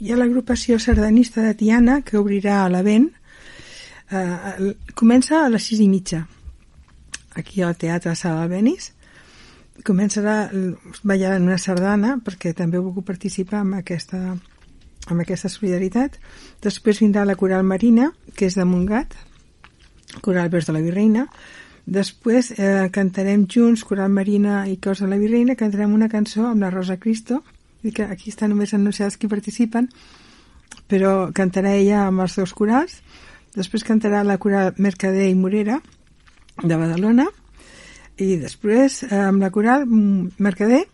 Hi ha l'agrupació sardanista de Tiana, que obrirà a l'Avent. Comença a les 6:30, aquí al Teatre Sala Albéniz. Començarà ballant una sardana, perquè també he volgut participar amb aquesta solidaritat. Després vindrà la Coral Marina, que és de Montgat, Coral Vers de la Virreina. Després cantarem junts, Coral Marina i Cors de la Virreina, cantarem una cançó amb la Rosa Cristo, i que aquí estan només anunciats qui participen, però cantarà ella amb els dos corals. Després cantarà la Coral Mercader i Morera de Badalona, i després amb la Coral Mercader,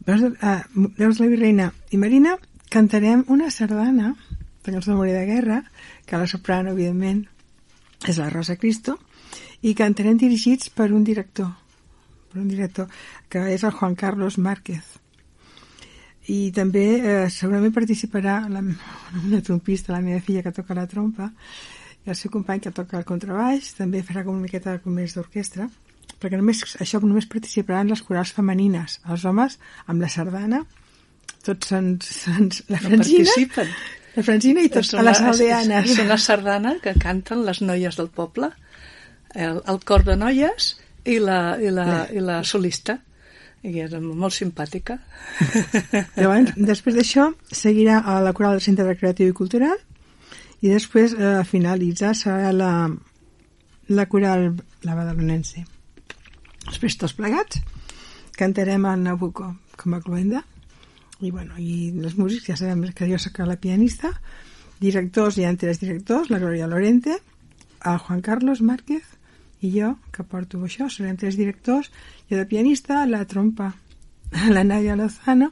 Veus de la Virreina i Marina, cantarem una sardana de cançó de Memòria de Guerra, que la soprano, evidentment, és la Rosa Cristo, i cantarem dirigits per un director, que és el Juan Carlos Márquez. I també segurament participarà una trompista, la meva filla, que toca la trompa, i el seu company, que toca el contrabaix. També farà com una miqueta més d'orquestra, perquè només participaran les corals femenines. Els homes, amb la sardana, tots són la Francina i tots a les aldeanes. És una sardana que canten les noies del poble, el cor de noies i la solista. I és molt simpàtica. Llavors, després d'això seguirà a la Coral del Centre Recreatiu i Cultural, i després a finalitzar serà la Coral la Badalonense. Després, tots plegats, cantarem el Nabucco com a cloenda, i els músics ja sabem que jo soc la pianista, directors, hi ha 3 directors, la Gloria Lorente, el Juan Carlos Márquez i jo, que porto això, serem 3 directors, i la pianista, la trompa, la Nadia Lozano,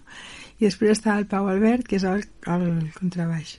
i després està el Pau Albert, que és el contrabaix.